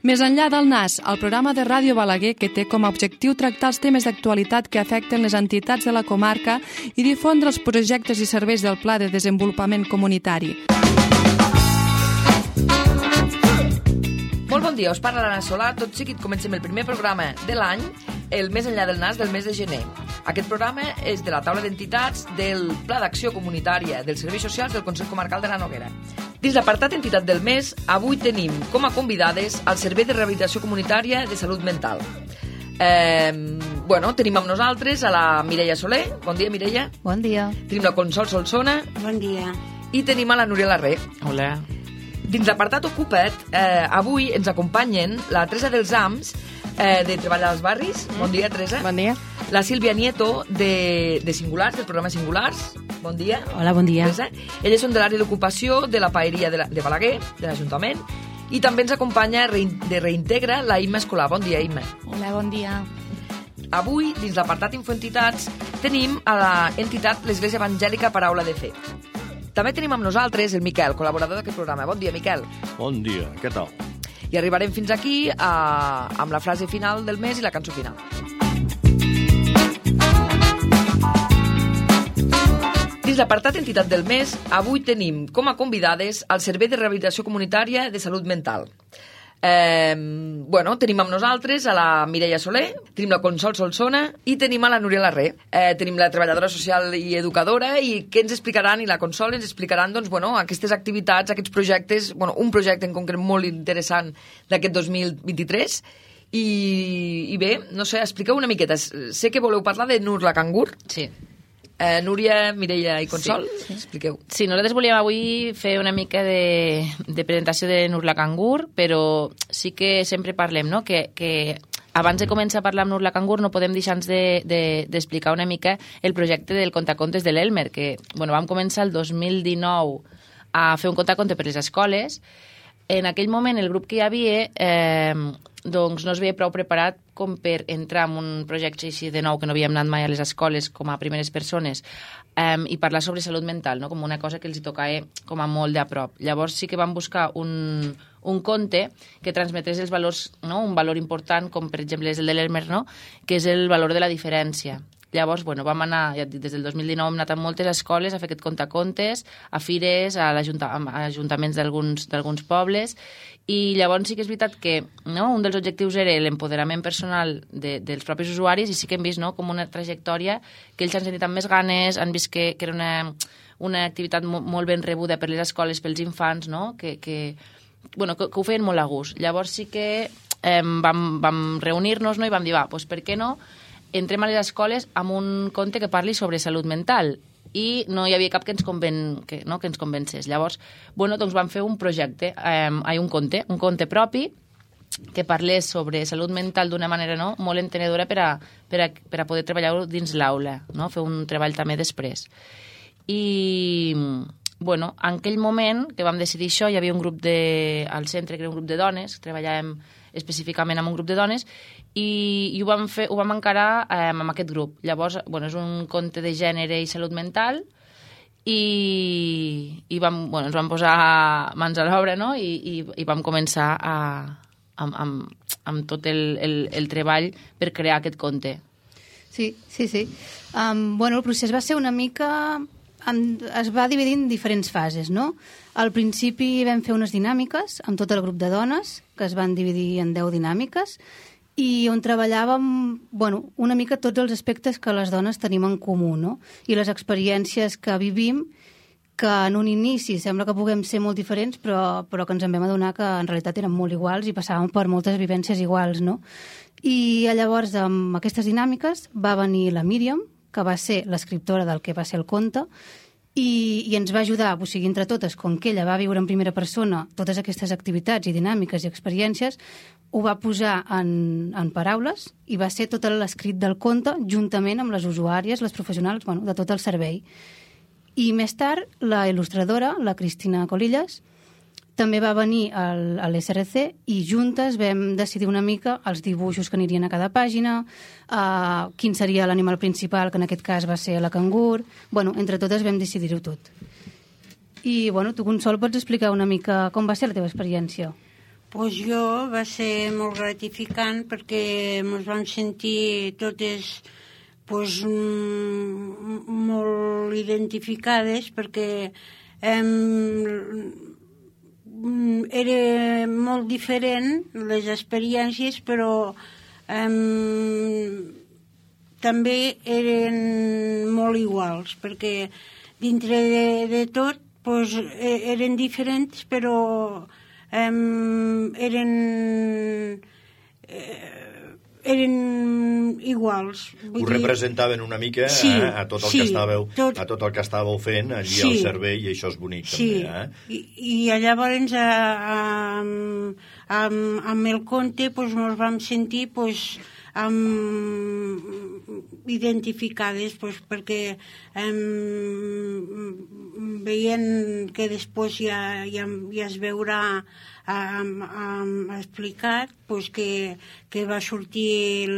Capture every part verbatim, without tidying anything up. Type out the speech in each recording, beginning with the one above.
Més enllà del Nas, el programa de Ràdio Balaguer que té com a objectiu tractar els temes d'actualitat que afecten les entitats de la comarca i difondre els projectes i serveis del Pla de Desenvolupament Comunitari. Molt bon dia, us parla l'Anna Solà. Tot seguit comencem el primer programa de l'any, el Més enllà del Nas del mes de gener. Aquest programa és de la taula d'entitats del Pla d'Acció Comunitària dels Serveis Socials del Consell Comarcal de la Noguera. Dins l'apartat Entitat del Mes, avui tenim com a convidades al Servei de Rehabilitació Comunitària de Salut Mental. Eh, bueno, tenim amb nosaltres a la Mireia Soler. Bon dia, Mireia. Bon dia. Tenim la Consol Solsona. Bon dia. I tenim a la Núria Larré. Hola. Dins l'apartat Ocupa't, eh, avui ens acompanyen la Teresa dels Ams, eh, de Treballar als Barris. Bon dia, Teresa. Bon dia. La Sílvia Nieto, de, de Singulars, del programa Singulars. Bon dia. Hola, bon dia. Teresa. Elles són de l'àrea d'ocupació de la paeria de, la, de Balaguer, de l'Ajuntament. I també ens acompanya de Reintegra la Imma Escolar. Bon dia, Imma. Hola, bon dia. Avui, dins l'apartat Infoentitats, tenim a l'entitat l'Església Evangèlica Paraula de Fe. També tenim amb nosaltres el Miquel, col·laborador d'aquest programa. Bon dia, Miquel. Bon dia, què tal? I arribarem fins aquí a, amb la frase final del mes i la cançó final. Dins l'apartat Entitat del Mes, avui tenim com a convidades al Servei de Rehabilitació Comunitària de Salut Mental. Eh, bueno, tenim amb nosaltres a la Mireia Soler, tenim la Consol Solsona i tenim a la Núria Larré. Eh, tenim la treballadora social i educadora i què ens explicaran, i la Consol ens explicaran doncs, bueno, aquestes activitats, aquests projectes, bueno, un projecte en concret molt interessant d'aquest dos mil vint-i-tres. I, i bé, no sé, expliqueu una miqueta. Sé que voleu parlar de Nur la Cangur. Sí. Eh, Núria, Mireia i Consol, sí. Expliqueu. Sí, nosaltres volíem avui fer una mica de, de presentació de Nur la Cangur, però sí que sempre parlem, no?, que, que abans de començar a parlar amb Nur la Cangur no podem deixar-nos d'explicar de, de, una mica el projecte del contacontes de l'Elmer, que bueno, vam començar el dos mil dinou a fer un contaconte per les escoles. En aquell moment el grup que hi havia eh, doncs no es veia prou preparat com per entrar en un projecte així de nou, que no havíem anat mai a les escoles com a primeres persones, eh, i parlar sobre salut mental, no?, com una cosa que els hi tocava com a molt de a prop. Llavors sí que vam buscar un, un conte que transmetés els valors, no?, un valor important, com per exemple és el de l'Elmer, no?, que és el valor de la diferència. Llavors, bueno, vam anar, ja et dic, des del dos mil dinou hem anat a moltes escoles a fer aquest contacontes, a fires, a, a ajuntaments d'alguns pobles, i llavors sí que és veritat que no, un dels objectius era l'empoderament personal de, dels propis usuaris, i sí que hem vist, no?, com una trajectòria que ells han sentit amb més ganes, han vist que, que era una, una activitat mo, molt ben rebuda per les escoles, pels infants, no?, que, que, bueno, que, que ho feien molt a gust. Llavors sí que eh, vam, vam reunir-nos, no?, i vam dir, va, doncs per què no entrem a les escoles amb un conte que parli sobre salut mental, i no hi havia cap que ens, conven, que, no, que ens convencés. Llavors, bueno, doncs vam fer un projecte, eh, un conte, un conte propi que parlés sobre salut mental d'una manera, no?, molt entenedora per a, per a, per a poder treballar dins l'aula, no?, fer un treball també després. I, bueno, en aquell moment que vam decidir això, hi havia un grup de, al centre, que era un grup de dones, treballàvem específicament amb un grup de dones, i, i ho vam fer, ho vam encarar eh, amb aquest grup. Llavors, bueno, és un conte de gènere i salut mental, i, i vam, bueno, ens vam posar mans a l'obra, no?, i, i, i vam començar a, amb, amb, amb tot el, el, el treball per crear aquest conte. Sí, sí, sí. Um, bueno, el procés va ser una mica... es va dividir en diferents fases, no? Al principi vam fer unes dinàmiques amb tot el grup de dones, que es van dividir en deu dinàmiques, i on treballàvem, bueno, una mica tots els aspectes que les dones tenim en comú, no?, i les experiències que vivim, que en un inici sembla que puguem ser molt diferents, però, però que ens en vam adonar que en realitat eren molt iguals i passàvem per moltes vivències iguals, no? I llavors, amb aquestes dinàmiques, va venir la Míriam, que va ser l'escriptora del que va ser el conte, i, i ens va ajudar, o sigui, entre totes, com que ella va viure en primera persona totes aquestes activitats i dinàmiques i experiències, ho va posar en, en paraules i va ser tot l'escrit del conte juntament amb les usuàries, les professionals, bueno, de tot el servei. I més tard, la il·lustradora, la Cristina Colillas, també va venir al, a l'S R C i juntes vam decidir una mica els dibuixos que anirien a cada pàgina, uh, quin seria l'animal principal, que en aquest cas va ser la cangur. Bueno, entre totes vam decidir-ho tot. I, bueno, tu, Consol, pots explicar una mica com va ser la teva experiència? Pues jo va ser molt gratificant perquè ens vam sentir totes pues, molt identificades perquè em, era molt diferent les experiències, però um, també eren molt iguals, perquè dintre de, de tot pues, eren diferents, però um, eren, eh, eren iguals. Vull Ho dir... representaven una mica sí, eh, a, tot el sí, que estàveu, tot... a tot el que estàveu fent allí sí, al servei, i això és bonic sí. també. Eh? I, I llavors a, a, amb, amb el conte pues, ens vam sentir pues, amb, identificades pues, perquè um, veient que després ja, ja, ja es veurà um, um, explicat pues, que, que va sortir el,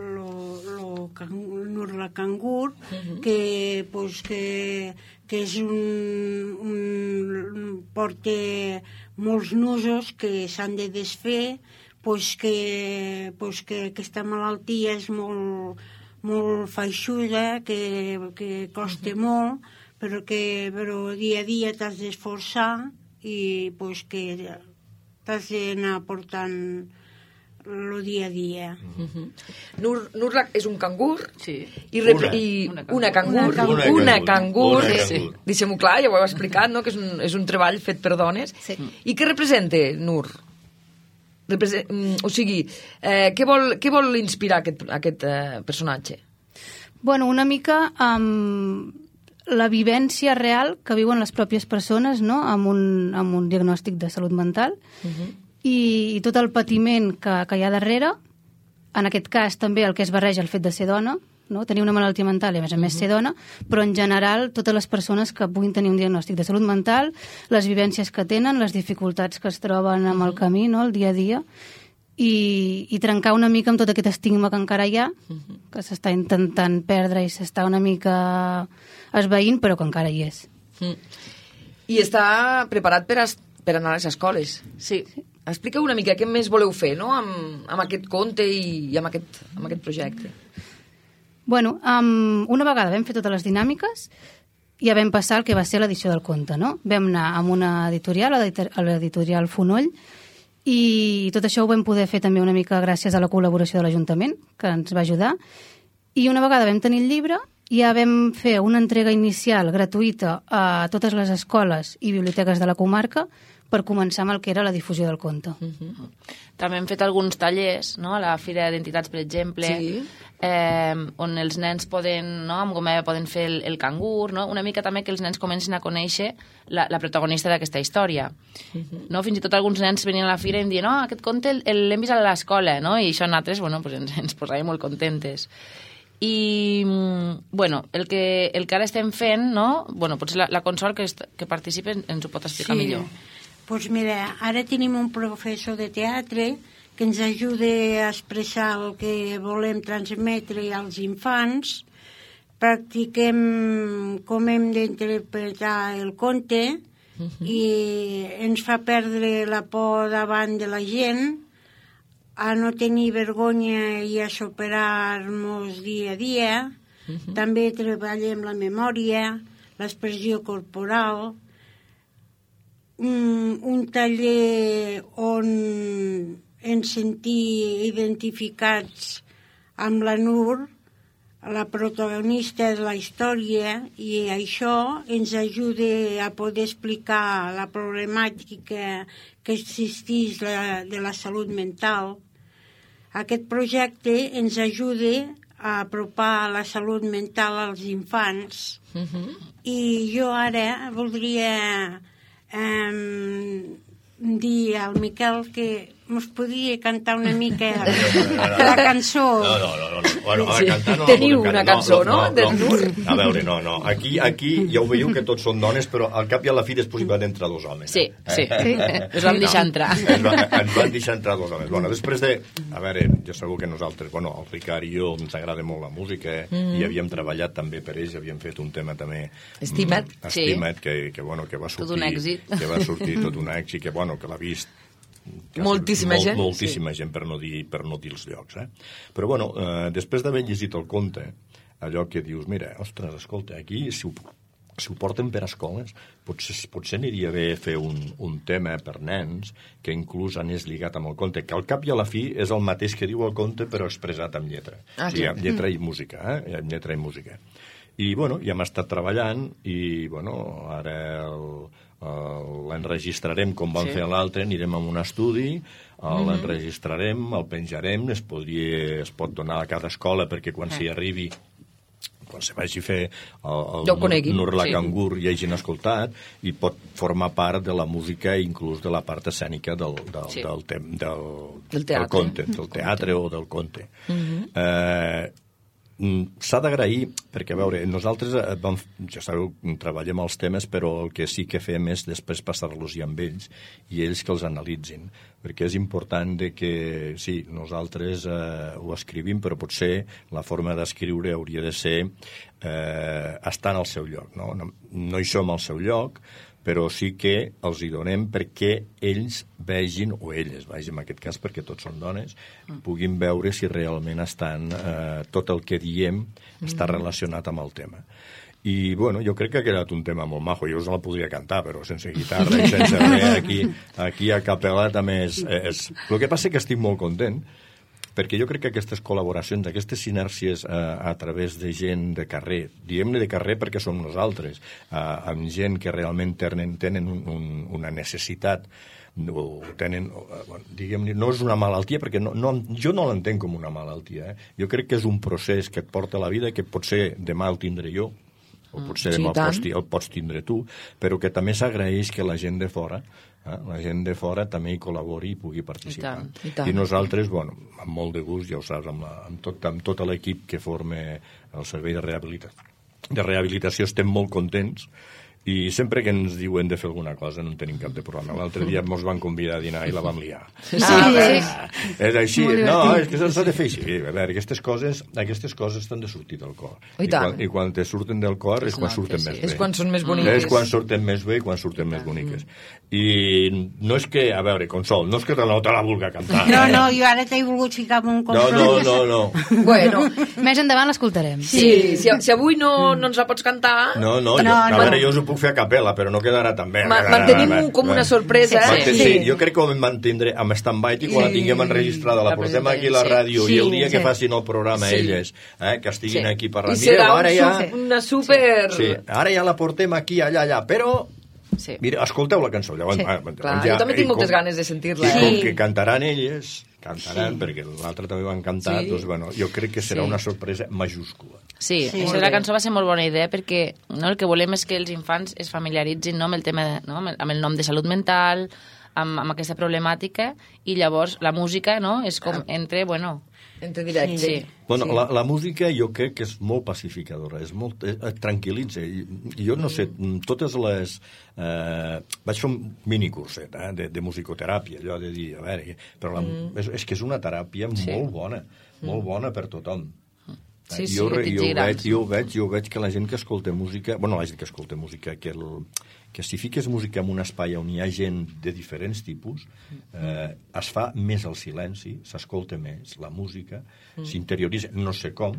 el, el Nurla Cangur, uh-huh. que, pues, que, que és un, un porta molts nusos que s'han de desfer, pues que, pues que aquesta malaltia és molt, molt feixuda, que, que costa uh-huh. molt, però que però dia a dia t'has d'esforçar i pues que t'has d'anar portant el dia a dia. Uh-huh. Nur, Nurla és un cangur sí. i, rep, una. i una cangur, una cangur, una cangur, una cangur, una sí. cangur. Deixem-ho clar, ja ho heu explicat, no? Que és un, és un treball fet per dones. Sí. I què representa Nur? Represent, o sigui, eh, què, vol, què vol inspirar aquest, aquest eh, personatge? Bueno, una mica amb la vivència real que viuen les pròpies persones, no?, amb un, amb un diagnòstic de salut mental, uh-huh. i, i tot el patiment que, que hi ha darrere, en aquest cas també el que es barreja el fet de ser dona, no? Tenir una malaltia mental i a més a més ser dona, però en general totes les persones que puguin tenir un diagnòstic de salut mental, les vivències que tenen, les dificultats que es troben amb el camí, no? El dia a dia, i, i trencar una mica amb tot aquest estigma que encara hi ha, que s'està intentant perdre i s'està una mica esvaint, però que encara hi és. Mm. I està preparat per, a, per anar a les escoles. Sí. Explica una mica què més voleu fer, no?, amb, amb aquest conte i, i amb, aquest, amb aquest projecte. Bueno, um, una vegada vam fer totes les dinàmiques, ja vam passar el que va ser l'edició del conte, no? Vam anar amb una editorial, a l'editorial Fonoll, i tot això ho vam poder fer també una mica gràcies a la col·laboració de l'Ajuntament, que ens va ajudar, i una vegada vam tenir el llibre, ja vam fer una entrega inicial gratuïta a totes les escoles i biblioteques de la comarca per començar amb el que era la difusió del conte. Uh-huh. També hem fet alguns tallers, no?, a la Fira d'Entitats, per exemple, sí. eh, on els nens poden, no?, amb gomeva poden fer el, el cangur, no?, una mica també que els nens comencin a conèixer la, la protagonista d'aquesta història. Uh-huh. No? Fins i tot alguns nens venien a la Fira i em diuen, no, aquest conte l'hem vist a l'escola, no?, i això nosaltres, bueno, pues ens, ens posàvem molt contentes. I, bueno, el que, el que ara estem fent, no?, bueno, potser la, la Consol que, est, que participa ens ho pot explicar sí. millor. Pues mira, ara tenim un professor de teatre que ens ajuda a expressar el que volem transmetre als infants. Practiquem com hem d'interpretar el conte uh-huh. i ens fa perdre la por davant de la gent, a no tenir vergonya i a superar-nos dia a dia. Uh-huh. També treballem la memòria, l'expressió corporal, un, un taller on ens sentim identificats amb la Nur, la protagonista de la història, i això ens ajuda a poder explicar la problemàtica que existeix la, de la salut mental. Aquest projecte ens ajuda a apropar la salut mental als infants. Uh-huh. I jo ara voldria eh, dir al Miquel que mos podria cantar una mica la cançó. No, no, no, no. Bueno, a cantar no. Teniu no, una cançó, no? no, no, no. A veure, no, no. Aquí, aquí ja ho veieu que tots són dones, però al cap i a la fi després hi van entrar dos homes. Sí, sí. Ens vam deixar entrar. Ens, va, ens van deixar entrar dos homes. Bueno, després de... A veure, jo segur que nosaltres, bueno, el Ricard i jo ens agrada molt la música, mm-hmm. i havíem treballat també per ells, havíem fet un tema també... Estimat. Estimat, sí. que, que, bueno, que va sortir... Tot un èxit. Que va sortir tot un èxit, que, bueno, que l'ha vist Quasi, moltíssima molt, gent. Moltíssima sí. gent, per no, dir, per no dir els llocs. Eh? Però, bueno, eh, després d'haver llegit el conte, allò que dius, mira, ostres, escolta, aquí, si ho, si ho porten per escoles, potser, potser aniria bé fer un, un tema per nens que inclús anés lligat amb el conte, que al cap i a la fi és el mateix que diu el conte, però expressat amb lletra. Ah, o sigui, amb lletra i música, eh? Amb lletra i música. I, bueno, ja hem estat treballant i, bueno, ara el, el, l'enregistrarem com vam sí. fer l'altre, anirem a un estudi, mm-hmm. l'enregistrarem, el penjarem, es, podria, es pot donar a cada escola perquè quan s'hi arribi, quan se vagi a fer el, el Nurla Cangur sí. i hagin escoltat, i pot formar part de la música i inclús de la part escènica del, del, sí. del, del, del, del, del conte, del teatre o del conte. Mm-hmm. Eh, s'ha d'agrair, perquè, a veure, nosaltres, vam, ja sabeu, treballem els temes, però el que sí que fem és després passar-los ja amb ells i ells que els analitzin, perquè és important de que, sí, nosaltres eh, ho escrivim, però potser la forma d'escriure hauria de ser eh, estar en el seu lloc, no? No, no hi som al seu lloc, però sí que els hi donem perquè ells vegin, o elles, vaja, en aquest cas perquè tots són dones, puguin veure si realment estan, eh, tot el que diem està relacionat amb el tema. I, bueno, jo crec que ha quedat un tema molt majo. Jo us la podria cantar, però sense guitarra i sense res. Aquí, aquí a capella també és, és... El que passa és que estic molt content, perquè jo crec que aquestes col·laboracions, aquestes sinèrcies eh, a través de gent de carrer, diguem-ne de carrer perquè som nosaltres, eh, amb gent que realment tenen, tenen un, un, una necessitat, o tenen, bueno, diguem-ne, no és una malaltia, perquè no, no, jo no l'entenc com una malaltia. Eh? Jo crec que és un procés que et porta a la vida, que potser demà el tindré jo, o potser demà sí, el, pots, el pots tindre tu, però que també s'agraeix que la gent de fora Eh? la gent de fora també hi col·labori i pugui participar. I, tant, i, tant. I nosaltres, bueno, amb molt de gust, ja ho saps, amb, la, amb, tot, amb tot l'equip que forma el servei de rehabilitació, de rehabilitació estem molt contents, i sempre que ens diuen de fer alguna cosa no en tenim cap de problema. L'altre dia ens van convidar a dinar i la vam liar. Sí, ah, sí. És així. No, és que s'ha de fer així. A veure, aquestes coses, aquestes coses estan de sortir del cor. I, I, quan, i quan te surten del cor és quan surten més bé. És quan són més boniques. És quan surten més bé i quan surten més boniques. I no és que, a veure, Consol, no és que no te la vulga cantar. No, no, jo ara t'he volgut ficar un compromís. No, no, no, no. Bueno. Més endavant l'escoltarem. Sí, si, si avui no, no ens la pots cantar... No, no, jo, a veure, jo us ho puc fer a capella, però no quedarà tan bé. Ma mantenim un, com una sorpresa. Sí, sí. sí, jo crec que ho mantindré amb stand-by i quan sí. la tinguem enregistrada, la portem aquí a la ràdio sí. i el dia sí. que facin el programa sí. elles, eh, que estiguin sí. aquí parlant. I serà Mireu, ara ja... una super... Sí. Ara ja la portem aquí, allà, allà, però... Sí. Mira, escolteu la cançó. Llavors, sí. ah, Clar, ja, jo també tinc moltes com, ganes de sentir-la. Sí. Eh? Com que cantaran elles, cantaran, sí. perquè l'altre també van cantar, sí. doncs, bueno, jo crec que serà sí. una sorpresa majúscula. Sí, sí. Això de la cançó va ser molt bona idea perquè no, el que volem és que els infants es familiaritzin no, amb el tema, de, no, amb el nom de salut mental, amb, amb aquesta problemàtica, i llavors la música no, és com entre, bueno... Entre directe. Sí. Bueno, sí. la, la música jo crec que és molt pacificadora, és molt, eh, tranquil·litza. I, jo no sé, totes les... Eh, vaig fer un minicurset eh, de, de musicoteràpia, allò de dir, a veure, però la, mm. és, és que és una teràpia sí. molt bona, molt bona per tothom. Sí, sí, jo, jo, ho veig, jo, ho veig, jo ho veig que la gent que escolta música... Bueno, la gent que escolta música, que, el, que si fiques música en un espai on hi ha gent de diferents tipus, eh, es fa més el silenci, s'escolta més la música, mm. s'interioritza, no sé com,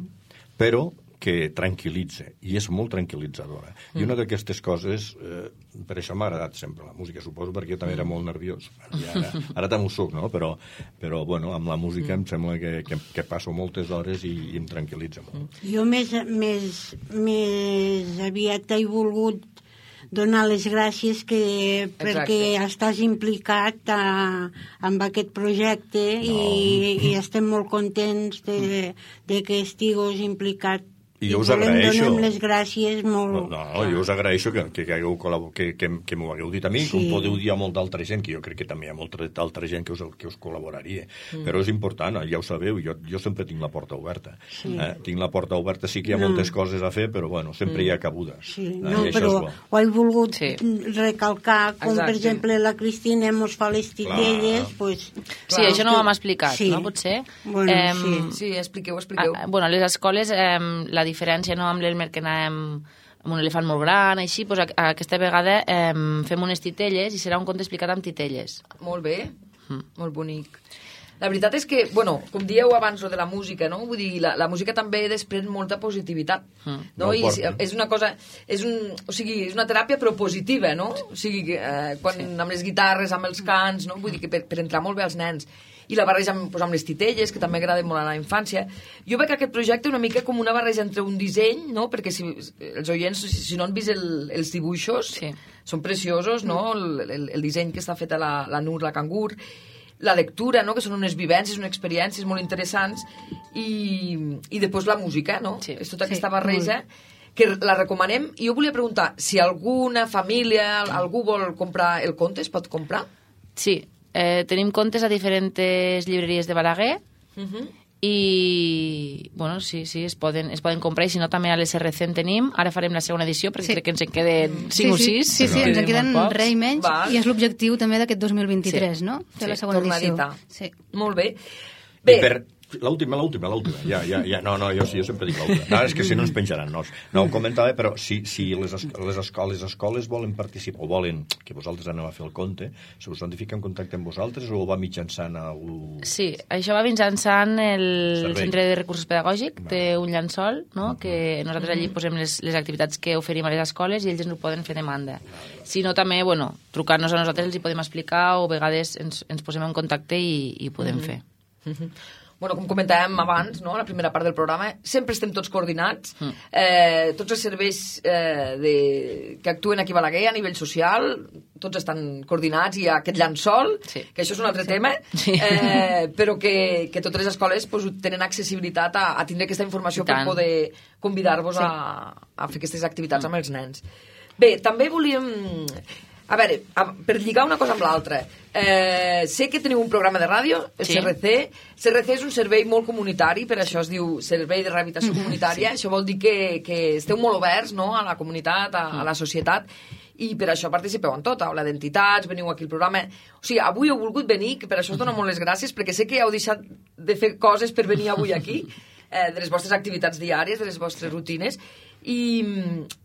però que tranquil·litza, i és molt tranquil·litzadora. Mm. I una d'aquestes coses, eh, per això m'ha agradat sempre la música, suposo, perquè jo també era molt nerviós. I ara, ara també ho soc, no? Però, però bueno, amb la música mm. em sembla que, que, que passo moltes hores i, i em tranquil·litza molt. Jo més, més, més aviat t'he volgut donar les gràcies que, perquè estàs implicat a, amb aquest projecte no. i, i estem molt contents de, de que estigues implicat. I jo us agraeixo. Donem les gràcies molt... No, no jo us agraeixo que, que, que, hagueu que, que, que m'ho hagueu dit a mi, sí. com podeu dir a molta altra gent, que jo crec que també hi ha molta altra gent que us, que us col·laboraria. Mm. Però és important, ja ho sabeu, jo, jo sempre tinc la porta oberta. Sí. Eh? Tinc la porta oberta, sí que hi ha no. moltes coses a fer, però bueno, sempre mm. hi ha cabuda. Sí. Eh? No, però ho he volgut sí. recalcar, com Exacte. per exemple la Cristina mos fa les titelles, pues... Sí, això no ho hem explicat, sí. no? Potser? Bueno, eh, sí. sí, expliqueu, expliqueu. A, bueno, a les escoles, eh, la diferència no, amb l'Elmer que anàvem amb un elefant molt gran, així, doncs, a, a aquesta vegada eh, fem unes titelles i serà un conte explicat amb titelles. Molt bé. Mm. Molt bonic. La veritat és que, bueno, com dieu abans, lo de la música, no? Vull dir, la, la música també desprèn molta positivitat, Mm. no? No I és, porta. és una cosa, és un, o sigui, és una teràpia però positiva, no? O sigui, que, eh, quan sí. amb les guitarres, amb els cants, no? Vull dir que per, per entrar molt bé als nens. I la barreja amb, doncs, amb les titelles, que també agrada molt a la infància. Jo veig aquest projecte una mica com una barreja entre un disseny, no? Perquè si, els oients, si, si no han vist el, els dibuixos, Sí. són preciosos, no? El, el, el disseny que està fet a la, la Nur, la Cangur, la lectura, no? Que són unes vivències, unes experiències molt interessants, i, i després la música, no? Sí. És tota Sí, aquesta barreja que la recomanem. I jo volia preguntar, si alguna família, algú vol comprar el conte, es pot comprar? Sí, eh, tenim contes a diferents llibreries de Balaguer, Uh -huh. i bueno, sí, sí, es poden, es poden comprar, i si no també a l'S R C en tenim. Ara farem la segona edició perquè Sí. crec que ens en queden cinc sí, o sí, sis. Sí, sí, ens en queden molt pocs. res i menys, Val. i és l'objectiu també d'aquest dos mil vint-i-tres, Sí. no? Fer Sí. la segona edició. Tornadita. Sí. Molt bé. Bé. Bé, Per... L'última, l'última, l'última. Ja, ja, ja. No, no, jo, sí, jo sempre dic l'última. No, és que si no ens penjaran. No, no ho comentava, però si, si les, es, les, escoles, les escoles volen participar, o volen que vosaltres aneu a fer el conte, se us han de ficar en contacte amb vosaltres o va mitjançant algú... Sí, això va mitjançant el Servei. Centre de Recursos Pedagògics, té un llençol, no? Que nosaltres allí posem les, les activitats que oferim a les escoles i ells ens ho poden fer demanda. Si no, també, bueno, trucar-nos a nosaltres els hi podem explicar, o a vegades ens, ens posem en contacte i, i ho podem Mhm. fer. bueno, com comentàvem abans, no? La primera part del programa, sempre estem tots coordinats, Mm. eh, tots els serveis eh, de, que actuen aquí a Balaguer a nivell social, tots estan coordinats, i hi ha aquest llençol, Sí. que això és un altre tema, Sí. eh, però que, que totes les escoles pues, tenen accessibilitat a, a tindre aquesta informació I per tant. poder convidar-vos Sí. a, a fer aquestes activitats amb els nens. Bé, també volíem... A veure, a, per lligar una cosa amb l'altra, eh, sé que teniu un programa de ràdio, el Sí. C R C. C R C és un servei molt comunitari, per això es diu Servei de Rehabilitació Comunitària. Sí. Això vol dir que, que esteu molt oberts, no?, a la comunitat, a, a la societat, i per això participeu en tot, a la d'entitats, veniu aquí al programa... O sigui, avui heu volgut venir, que per això us dono molt les gràcies, perquè sé que heu deixat de fer coses per venir avui aquí, eh, de les vostres activitats diàries, de les vostres rutines, i,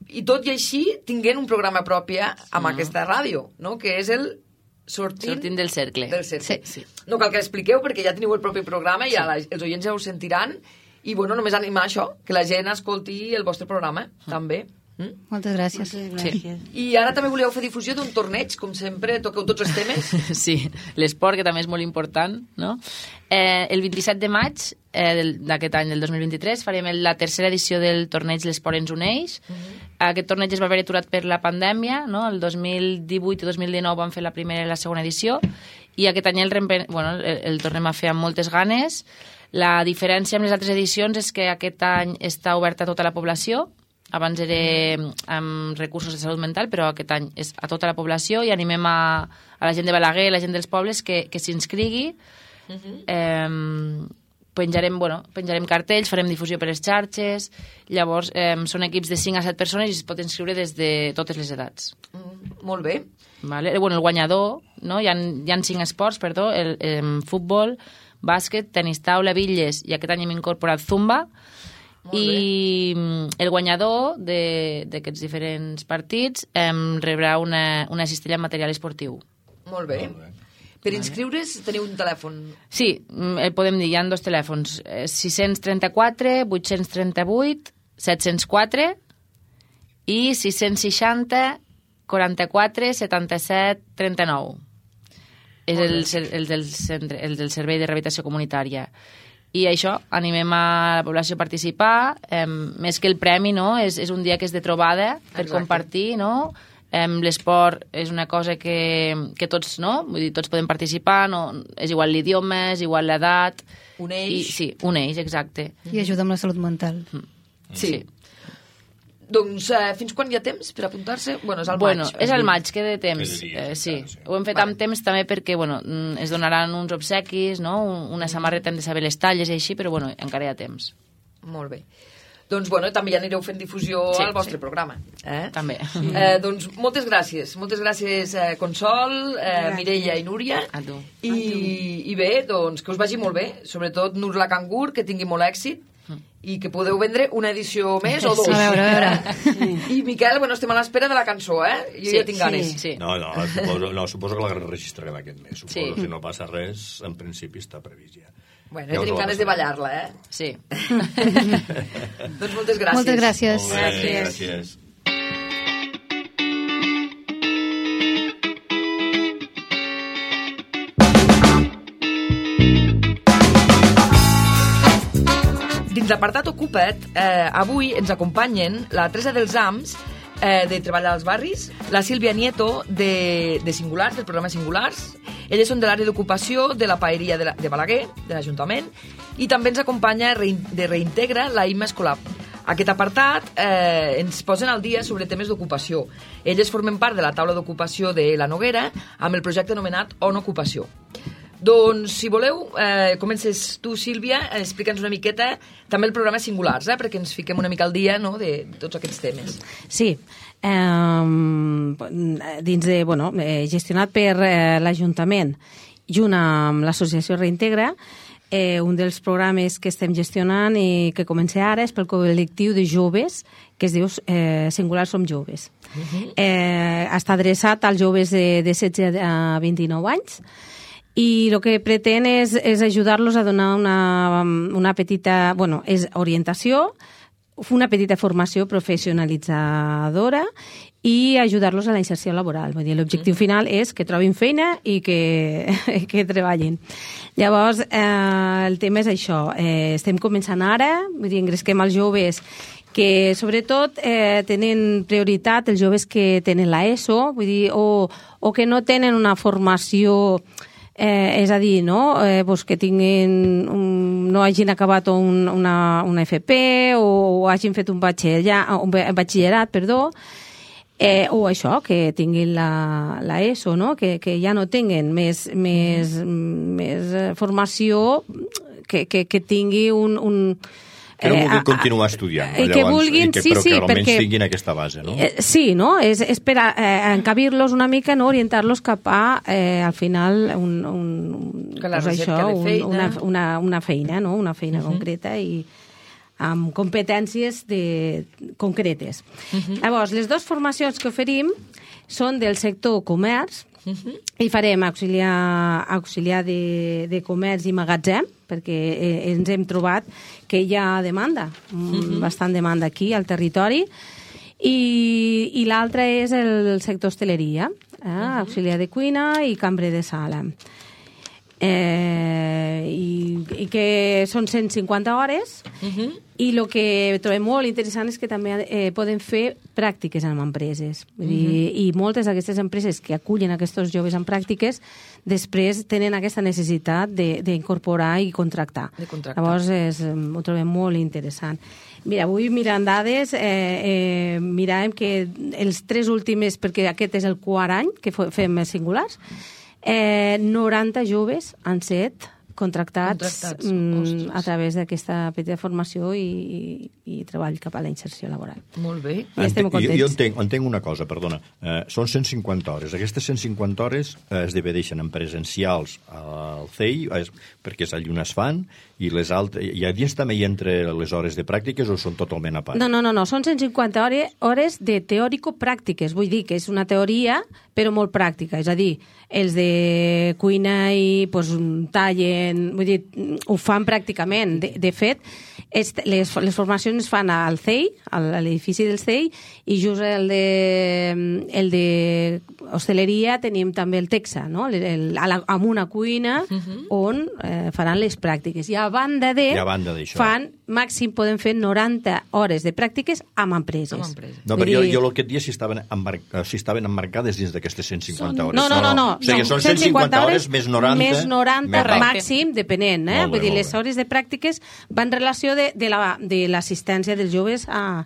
i tot i així tinguent un programa propi amb Mm. aquesta ràdio, no?, que és el Sortint, Sortint del cercle. del cercle. Sí, sí. No cal que l'expliqueu perquè ja teniu el propi programa i ja la, els oients ja ho sentiran, i bueno, només animar això, que la gent escolti el vostre programa, també. Mm? Moltes gràcies. Moltes gràcies. I ara també voleu fer difusió d'un torneig, com sempre, toqueu tots els temes. Sí, l'esport, que també és molt important, no? Eh, el vint-i-set de maig eh, del- d'aquest any, del dos mil vint-i-tres, farem el- la tercera edició del torneig L'Esport ens uneix. Aquest torneig es va haver aturat per la pandèmia, no? El dos mil divuit i dos mil dinou van fer la primera i la segona edició, i aquest any el, rempe- bueno, el, el tornem a fer amb moltes ganes. La diferència amb les altres edicions és que aquest any està oberta a tota la població. Abans era amb recursos de salut mental, però aquest any és a tota la població, i animem a, a la gent de Balaguer, la gent dels pobles, que, que s'inscrigui. eh, penjarem, bueno, penjarem cartells, farem difusió per les xarxes. Llavors, eh, són equips de cinc a set persones i es pot inscriure des de totes les edats. Mm, molt bé. Vale? Bueno, el guanyador, no? Hi ha, hi ha cinc esports, perdó, el, el futbol, bàsquet, tenis taula, bitlles, i aquest any hem incorporat zumba. Molt I mm, el guanyador de- d'aquests diferents partits em rebrà una, una cistella amb material esportiu. Molt bé. Molt bé. Per inscriure's teniu un telèfon. Sí, mm, el podem dir, hi ha dos telèfons, eh, sis trenta-quatre, vuit trenta-vuit, set zero quatre i sis seixanta, quaranta-quatre, setanta-set, trenta-nou. És Molt el, bé. cer- el, del centre, el del Servei de Rehabilitació Comunitària. I això, animem a la població a participar, eh, més que el premi, no? És, és un dia que és de trobada per Exacte. compartir, no? Eh, l'esport és una cosa que, que tots, no? Vull dir, tots podem participar, no? És igual l'idioma, és igual l'edat. Uneix. I, sí, uneix, exacte. I ajuda amb la salut mental. Sí. Doncs eh, fins quan hi ha temps per apuntar-se? Bueno, és al Bueno, maig. és al maig, queda temps. Quedaria, Eh, sí. clar, sí. Ho hem fet Vale. amb temps també perquè, bueno, mm, es donaran uns obsequis, no? Un- Una samarreta, hem de saber les talles i així, però, bueno, encara hi ha temps. Molt bé. Doncs, bueno, també ja anireu fent difusió Sí, al vostre sí. programa. Eh? També. Eh, doncs moltes gràcies. Moltes gràcies, eh, Consol, eh, Gràcies. Mireia i Núria. A tu. I, I bé, doncs que us vagi molt bé. Sobretot Nur la Cangur, que tingui molt èxit. i que podeu vendre una edició més o dos. A veure, a veure. I Miquel, bueno, estem a l'espera de la cançó, eh? Jo Sí, ja tinc ganes. sí. No, no, suposo, no, suposo que la registrarem aquest mes. Suposo, Sí. si no passa res, en principi està previst ja. Bueno, Ja ja us tenim la ganes de passarem. ballar-la, eh? Sí. Doncs moltes gràcies. Moltes gràcies. Molt bé, gràcies. Dins l'apartat Ocupa't, eh, avui ens acompanyen la Teresa dels Ams, eh, de Treballar als Barris, la Sílvia Nieto, de, de Singulars, del programa Singulars. Elles són de l'àrea d'ocupació de la paeria de, la, de Balaguer, de l'Ajuntament, i també ens acompanya rein, de Reintegra la Imma Escolà. Aquest apartat eh, ens posen al dia sobre temes d'ocupació. Elles formen part de la taula d'ocupació de la Noguera amb el projecte anomenat On Ocupació. Doncs, si voleu, eh, comences tu, Sílvia, explica'ns una miqueta també el programa Singulars, eh, perquè ens fiquem una mica al dia, no?, de tots aquests temes. Sí, eh, dins de, bueno, eh, gestionat per eh, l'Ajuntament junt amb l'associació Reintegra, eh, un dels programes que estem gestionant i que comença ara és pel col·lectiu de joves que es diu eh, Singulars Som Joves. Uh-huh. eh, està adreçat als joves de, de setze a vint-i-nou anys i el que pretén és, és ajudar-los a donar una, una petita, bueno, és orientació, una petita formació professionalitzadora i ajudar-los a la inserció laboral. Vull dir, l'objectiu mm. final és que trobin feina i que, que treballin. Llavors, eh, el tema és això. Eh, estem començant ara, vull dir, engresquem els joves que sobretot eh, tenen prioritat els joves que tenen l'ESO, vull dir, o, o que no tenen una formació... Eh, és a dir, no? Eh, pues que tinguin un, no hagin acabat un, una, una F P o, o hagin fet un batxillerat, un batxillerat perdó, eh, o això, que tinguin la, la ESO, no? que, que ja no tinguin més, més, més formació, que, que, que tingui un... un que no vulguin continuar estudiant, no? Eh, que Llavors, vulguin, i que, sí, però sí, que almenys perquè, tinguin aquesta base, no? Eh, sí, no? És, és per a, eh, encabir-los una mica, no? Orientar-los cap a, eh, al final, un, un, que la pues recerca això, de feina. Un, una, una, una feina, no? Una feina uh-huh. concreta i amb competències de, concretes. Uh-huh. Llavors, les dues formacions que oferim són del sector comerç, uh-huh. i farem auxiliar, auxiliar de, de comerç i magatzem, perquè eh, ens hem trobat que hi ha demanda, uh-huh. bastant demanda aquí al territori, i, i l'altra és el sector hostaleria, eh? uh-huh. auxiliar de cuina i cambrer de sala. Eh, i, i que són cent cinquanta hores uh-huh. i el que trobem molt interessant és que també eh, poden fer pràctiques en empreses. Vull dir, uh-huh. i moltes d'aquestes empreses que acullen aquests joves en pràctiques després tenen aquesta necessitat d'incorporar i contractar. De contractar. Llavors és, ho trobem molt interessant. Mira, avui mirant dades, eh, eh, miràvem que els tres últims, perquè aquest és el quart any que fem Singulars, Eh, noranta joves han set contractats, contractats mm, a través d'aquesta petita formació i, i, i treball cap a la inserció laboral. Molt bé. I estem Entenc, contents. jo, jo entenc, entenc una cosa, perdona. Eh, són cent cinquanta hores. Aquestes cent cinquanta hores eh, es divideixen en presencials al C E I, eh, perquè és allà on es fan, i les altres... I a dins també hi entre les hores de pràctiques o són totalment a part? No, no, no, no. Són cent cinquanta hores, hores de teòrico-pràctiques. Vull dir que és una teoria, però molt pràctica. És a dir, els de cuina i pues, tallen... Vull dir, ho fan pràcticament. De, de fet, és, les, les formacions es fan al C E I, a l'edifici del C E I, i just el de, el de hostaleria tenim també el Texa, no? el, el, a la, amb una cuina uh-huh. on eh, faran les pràctiques. I a banda de, I a banda d'això, fan, màxim poden fer noranta hores de pràctiques amb empreses. Amb empreses. No, però jo, jo el que et dia si estaven, embar si estaven emmarcades dins d'aquestes cent cinquanta hores. No, no, no. no. O sigui, no. són cent cinquanta hores més noranta. Més noranta més màxim, depenent. Eh? Molt bé, Vull dir, molt les bé. hores de pràctiques van en relació de, de l'assistència la, de dels joves a,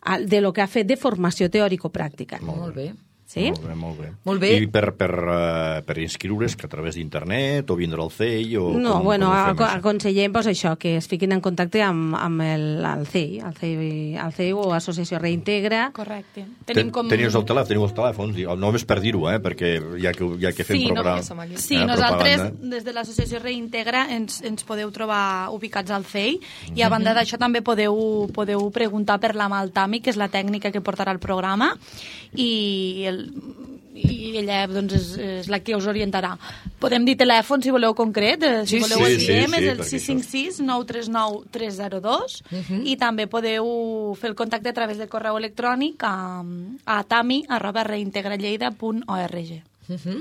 a, de lo que ha fet de formació teòrico-pràctica. Molt bé. Sí? Molt bé, molt bé. Molt bé. I per, per, uh, per inscriure's, que a través d'internet o vindre al C E I o... No, com, bueno, com ho fem, ac això? aconsellem pues, això, que es fiquin en contacte amb, amb el, el C E I, el C E I, el C E I o Associació Reintegra. Correcte. Tenim com... Teniu el telèfon, teniu els telèfons, només per dir-ho, eh, perquè ja que, ja que fem sí, programa... No, sí, eh, nosaltres, des de l'Associació Reintegra, ens, ens podeu trobar ubicats al C E I mm-hmm. i a banda d'això també podeu, podeu preguntar per la Maltami, que és la tècnica que portarà el programa, i el i ella doncs, és, és la que us orientarà. Podem dir telèfon, si voleu concret, si sí, voleu sí, el diem, sí, sí, és el sis cinc sis, nou tres nou, tres zero dos uh-huh. i també podeu fer el contacte a través de correu electrònic a, a tami arroba reintegralleida punt org. Uh-huh.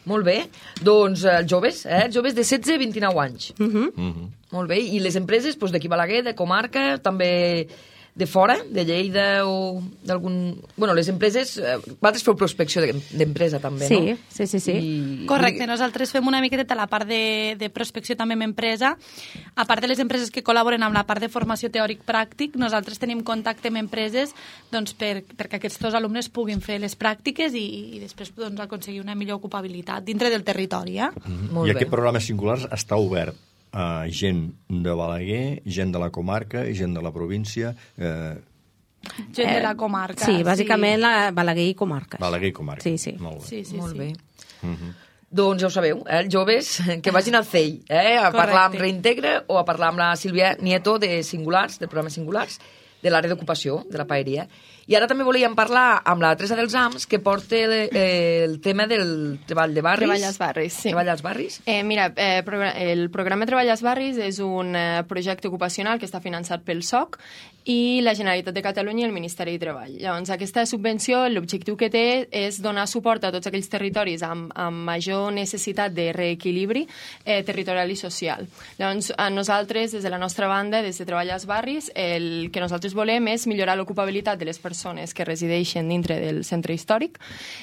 Molt bé. Doncs els joves, eh? joves de setze a vint-i-nou anys. Uh-huh. Uh-huh. Molt bé. I les empreses doncs, d'aquí Balaguer, de comarca, també de fora, de Lleida o d'algun... Bueno, les empreses... Eh, vosaltres feu prospecció d'empresa, també, sí, no? Sí, sí, sí. I... Correcte, nosaltres fem una miqueta la part de, de prospecció també amb empresa. A part de les empreses que col·laboren amb la part de formació teòric-pràctic, nosaltres tenim contacte amb empreses doncs, per, perquè aquests dos alumnes puguin fer les pràctiques i, i després doncs, aconseguir una millor ocupabilitat dintre del territori. Eh? Mm-hmm. I aquest programa Singulars està obert a gent de Balaguer, gent de la comarca i gent de la província... Eh... Gent de la comarca. Sí, bàsicament sí. La Balaguer i comarques. Balaguer i comarca. Sí, sí. Molt bé. Sí, sí, Molt sí. bé. Uh-huh. Doncs ja ho sabeu, eh, els joves que vagin al C E I, eh, a Correcte. parlar amb Reintegra o a parlar amb la Sílvia Nieto de Singulars, del programa Singulars, de l'àrea d'ocupació, de la paeria. I ara també volíem parlar amb la Teresa dels Ams, que porta el, eh, el tema del treball de barris. Treball als barris, sí. Treball als barris. Eh, mira, eh, el programa Treball als barris és un eh, projecte ocupacional que està finançat pel S O C i la Generalitat de Catalunya i el Ministeri de Treball. Llavors, aquesta subvenció, l'objectiu que té és donar suport a tots aquells territoris amb, amb major necessitat de reequilibri eh, territorial i social. Llavors, a nosaltres, des de la nostra banda, des de Treball als barris, el que nosaltres volem és millorar l'ocupabilitat de les persones que resideixen dintre del centre històric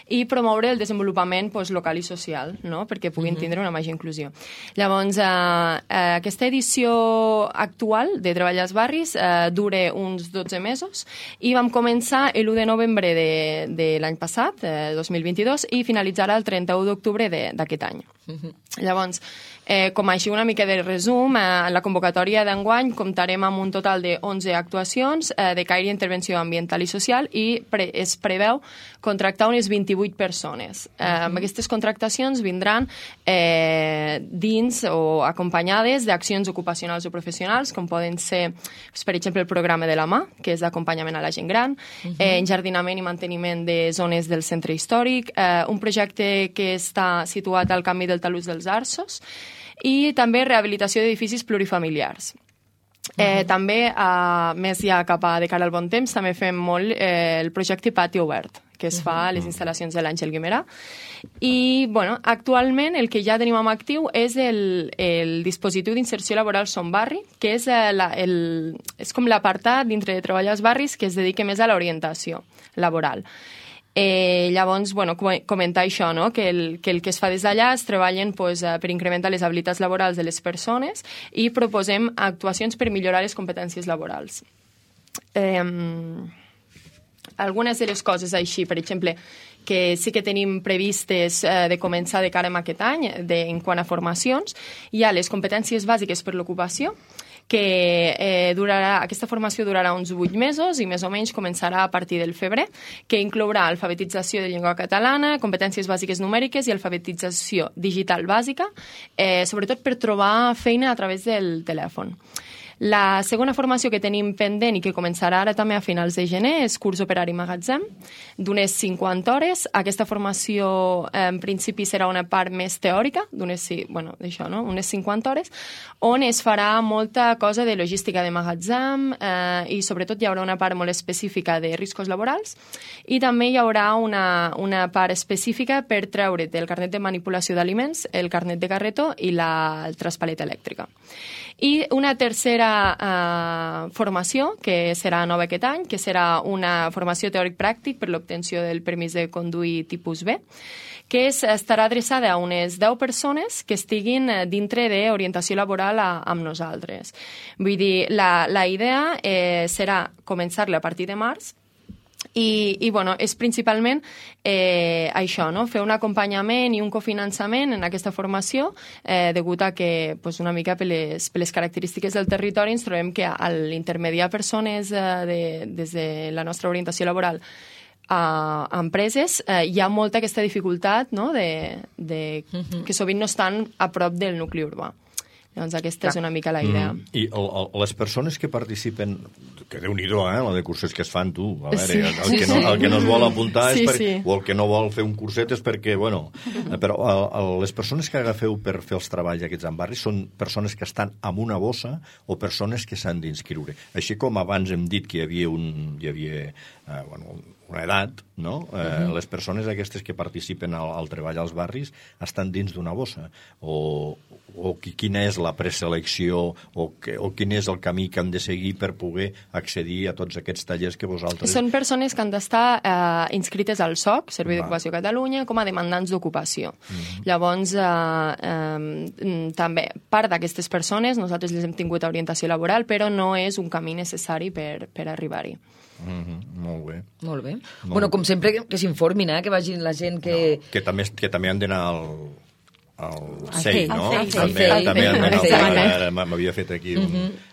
i promoure el desenvolupament pues, local i social, no? Perquè puguin uh-huh. tindre una major inclusió. Llavors, eh, eh, aquesta edició actual de Treball als barris eh, dura uns dotze mesos i vam començar l'u de novembre de, de l'any passat, eh, dos mil vint-i-dos, i finalitzarà el trenta-u d'octubre d'aquest any. Uh-huh. Llavors, eh, com així una mica de resum, eh, en la convocatòria d'enguany comptarem amb un total de onze actuacions eh, de caire intervenció ambiental i social i pre es preveu contractar unes vint-i-vuit persones. Eh, uh-huh. Amb aquestes contractacions vindran eh, dins o acompanyades d'accions ocupacionals o professionals, com poden ser, per exemple, el programa de la mà, que és d'acompanyament a la gent gran, uh-huh. eh, enjardinament i manteniment de zones del centre històric, eh, un projecte que està situat al canvi del talús dels Arços, i també rehabilitació d'edificis plurifamiliars. Eh, uh-huh. També, eh, més ja cap a de cara al bon temps, també fem molt eh, el projecte Pati Obert, que es fa a les instal·lacions de l'Àngel Guimerà. I, bueno, actualment el que ja tenim en actiu és el, el dispositiu d'inserció laboral Som Barri, que és, eh, la, el, és com l'apartat dintre de Treball als barris que es dedica més a l'orientació laboral. Eh, llavors, bueno, comentar això, no? que, el, que el que es fa des d'allà es treballen pues, per incrementar les habilitats laborals de les persones i proposem actuacions per millorar les competències laborals. Eh, algunes de les coses així, per exemple, que sí que tenim previstes eh, de començar de cara a aquest any, de, en quant a formacions, hi ha les competències bàsiques per l'ocupació, que eh, durarà, aquesta formació durarà uns vuit mesos i més o menys començarà a partir del febrer, que inclourà alfabetització de llengua catalana, competències bàsiques numèriques i alfabetització digital bàsica, eh, sobretot per trobar feina a través del telèfon. La segona formació que tenim pendent i que començarà ara també a finals de gener és curs operari magatzem, d'unes cinquanta hores. Aquesta formació en principi serà una part més teòrica, d'unes, bueno, d'això, no? unes cinquanta hores, on es farà molta cosa de logística de magatzem eh, i sobretot hi haurà una part molt específica de riscos laborals i també hi haurà una, una part específica per treure't el carnet de manipulació d'aliments, el carnet de carretó i la el traspaleta elèctrica. I una tercera uh, formació, que serà nova aquest any, que serà una formació teòric-pràctic per l'obtenció del permís de conduir tipus B, que és, estarà adreçada a unes deu persones que estiguin dintre d'orientació laboral a, amb nosaltres. Vull dir, la, la idea eh, serà començar-la a partir de març, I, i bueno, és principalment eh, això, no? Fer un acompanyament i un cofinançament en aquesta formació, eh, degut a que pues, una mica per les, per les característiques del territori ens trobem que a l'intermediar persones eh, de, des de la nostra orientació laboral a empreses, eh, hi ha molta aquesta dificultat, no? de, de, uh-huh. que sovint no estan a prop del nucli urbà. Llavors aquesta Clar. és una mica la idea. Mm. I el, el, les persones que participen, que Déu-n'hi-do, eh, la de cursos que es fan, tu, a veure, sí, el, el, que no, el que no es vol apuntar sí, és per, sí. o el que no vol fer un curset és perquè, bueno, però el, el, les persones que agafeu per fer els treballs aquests en barris són persones que estan amb una bossa o persones que s'han d'inscriure. Així com abans hem dit que hi havia un... Hi havia, eh, bueno, una edat, no? Eh, uh-huh. Les persones aquestes que participen al, al treball als barris estan dins d'una bossa. O, o quina és la preselecció o, que, o quin és el camí que han de seguir per poder accedir a tots aquests tallers que vosaltres... Són persones que han d'estar eh, inscrites al S O C, Servei d'Ocupació Catalunya, com a demandants d'ocupació. Uh-huh. Llavors, eh, eh, també, part d'aquestes persones, nosaltres les hem tingut a orientació laboral, però no és un camí necessari per, per arribar-hi. Mm-hmm. Molt bé. Molt bé. Molt bueno, com sempre, que, que s'informin, eh? Que vagin la gent que... No, que, també, que també han d'anar al... al C E I, no? Al C E I. També, també han d'anar... M'havia fet aquí un... Mm-hmm.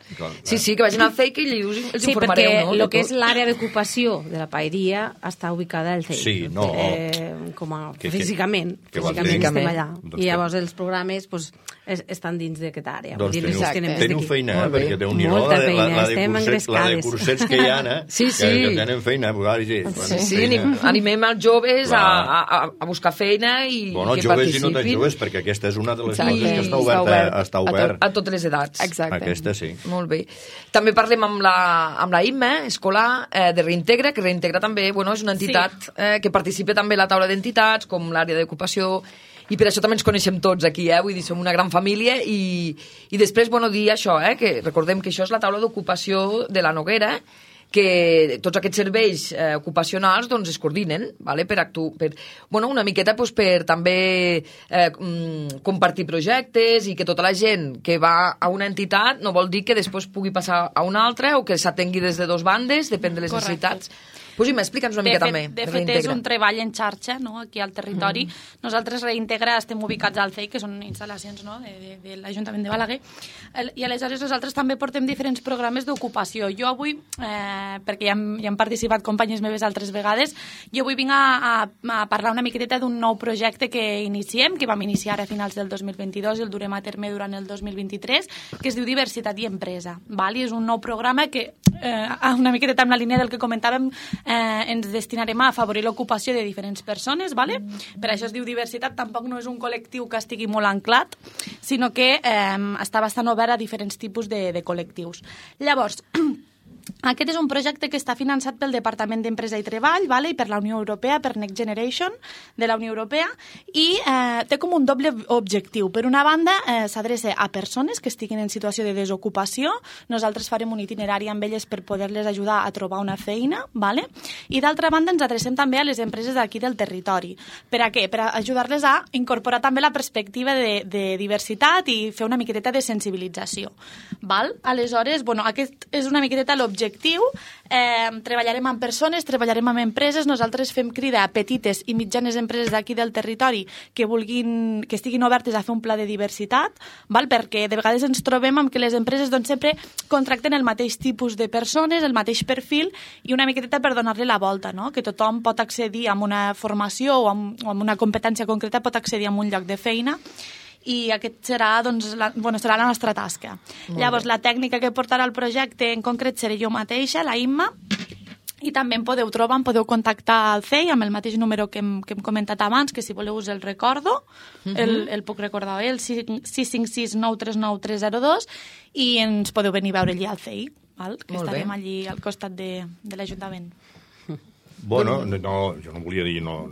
Sí, sí, que vagin al C E I, que els, els sí, informareu, no? Sí, perquè el que és l'àrea d'ocupació de la paeria està ubicada al C E I. Sí, no. Eh, com a que, físicament. Que, que físicament estem allà. Doncs I llavors els programes pues, es, estan dins d'aquesta àrea. Doncs teniu, teniu, teniu feina, eh? Perquè té un nivell molta feina, la, la, estem de cursets, la de cursets que hi ha, eh? Sí, sí. Que, que tenen feina. Sí, sí, sí feina. Animem els joves a, a, a buscar feina i bueno, que joves participin. I no tan joves, perquè aquesta és una de les Exacte. coses que està oberta. Està obert. A, to, a totes les edats. Exacte. Aquesta sí. Molt bé. També parlem amb la, amb la I M E, escolar, eh, de Reintegra, que Reintegra també bueno, és una entitat sí. eh, que participa també a la taula d'entitats, com l'àrea d'ocupació, i per això també ens coneixem tots aquí, eh? Vull dir, som una gran família, i, i després, bueno, dir això, eh? Que recordem que això és la taula d'ocupació de la Noguera, que tots aquests serveis eh, ocupacionals doncs, es coordinen, vale? per, actu per bueno, una miqueta doncs, per també eh, mm, compartir projectes i que tota la gent que va a una entitat no vol dir que després pugui passar a una altra o que s'atengui des de dos bandes, depèn de les Correcte. necessitats. Pues explica'ns una de mica fet, també. De fet, és un treball en xarxa, no?, aquí al territori. Mm. Nosaltres, Reintegra, estem ubicats al C E I, que són instal·lacions, no?, de, de, de l'Ajuntament de Balaguer, i aleshores nosaltres també portem diferents programes d'ocupació. Jo avui, eh, perquè ja hem, ja hem participat companyes meves altres vegades, jo avui vinc a, a, a parlar una miqueta d'un nou projecte que iniciem, que vam iniciar a finals del dos mil vint-i-dos i el durem a terme durant el dos mil vint-i-tres, que es diu Diversitat i Empresa. Val? I és un nou programa que, eh, una miqueta amb la línia del que comentàvem, Eh, ens destinarem a afavorir l'ocupació de diferents persones, vale? Mm. Per això es diu diversitat, tampoc no és un col·lectiu que estigui molt anclat, sinó que eh, està bastant obert a diferents tipus de, de col·lectius. Llavors, aquest és un projecte que està finançat pel Departament d'Empresa i Treball, vale? I per la Unió Europea, per Next Generation de la Unió Europea, i eh, té com un doble objectiu. Per una banda, eh, s'adreça a persones que estiguin en situació de desocupació. Nosaltres farem un itinerari amb elles per poder-les ajudar a trobar una feina, vale? I d'altra banda ens adrecem també a les empreses d'aquí del territori. Per a què? Per a ajudar-les a incorporar també la perspectiva de, de diversitat i fer una miqueteta de sensibilització. Val? Aleshores, bueno, aquest és una miqueteta l'objectiu objectiu, eh, treballarem amb persones, treballarem amb empreses, nosaltres fem crida a petites i mitjanes empreses d'aquí del territori que vulguin, que estiguin obertes a fer un pla de diversitat, val? Perquè de vegades ens trobem amb que les empreses doncs, sempre contracten el mateix tipus de persones, el mateix perfil, i una miqueteta per donar-li la volta, no? Que tothom pot accedir a una formació o amb, o amb una competència concreta, pot accedir a un lloc de feina, i aquest serà, doncs, la, bueno, serà la nostra tasca. Molt Llavors, bé. La tècnica que portarà el projecte en concret seré jo mateixa, la Imma, i també em podeu trobar, em podeu contactar al C E I amb el mateix número que hem, que hem comentat abans, que si voleu us el recordo, uh-huh. el, el puc recordar bé, el sis cinc sis nou tres nou tres zero dos, i ens podeu venir a veure allí al C E I, val? Que Molt estarem bé. Allí al costat de, de l'Ajuntament. Bueno, no, jo no volia dir... No.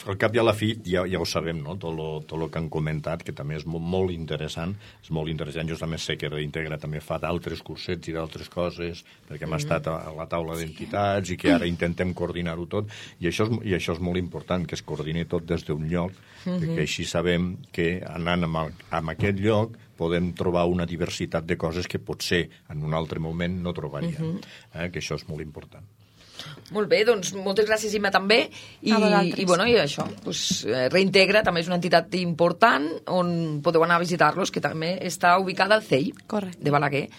Al cap i a la fi ja, ja ho sabem, no? Tot lo, tot lo que han comentat, que també és molt, molt interessant. És molt interessant. Jo també sé que Reintegra també fa d'altres cursets i d'altres coses, perquè hem mm. estat a, a la taula d'entitats i que ara intentem coordinar-ho tot. I això, és, I això és molt important, que es coordini tot des d'un lloc, mm-hmm. perquè així sabem que anant a, a aquest lloc podem trobar una diversitat de coses que potser en un altre moment no trobaríem. Mm-hmm. eh? Que això és molt important. Molt bé, doncs moltes gràcies, Imma, també. I, i, bueno, i això, doncs, Reintegra també és una entitat important on podeu anar a visitar-los, que també està ubicada al C E I Correcte. de Balaguer.